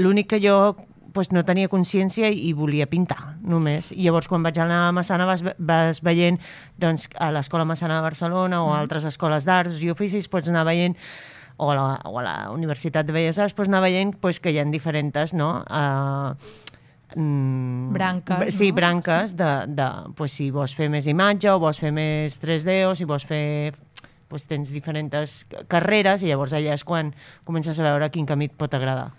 L'únic que jo no tenia consciència i volia pintar, només. I llavors, quan vaig anar a Massana, vas veient a l'Escola Massana de Barcelona o a altres escoles d'arts i oficis, pots anar veient, o a la Universitat de Belles Arts, pots anar veient que hi ha diferents, branques. Sí, branques si vols fer més imatge o vols fer més 3D o si vols fer... tens diferents carreres i llavors allà és quan comences a veure quin camí et pot agradar.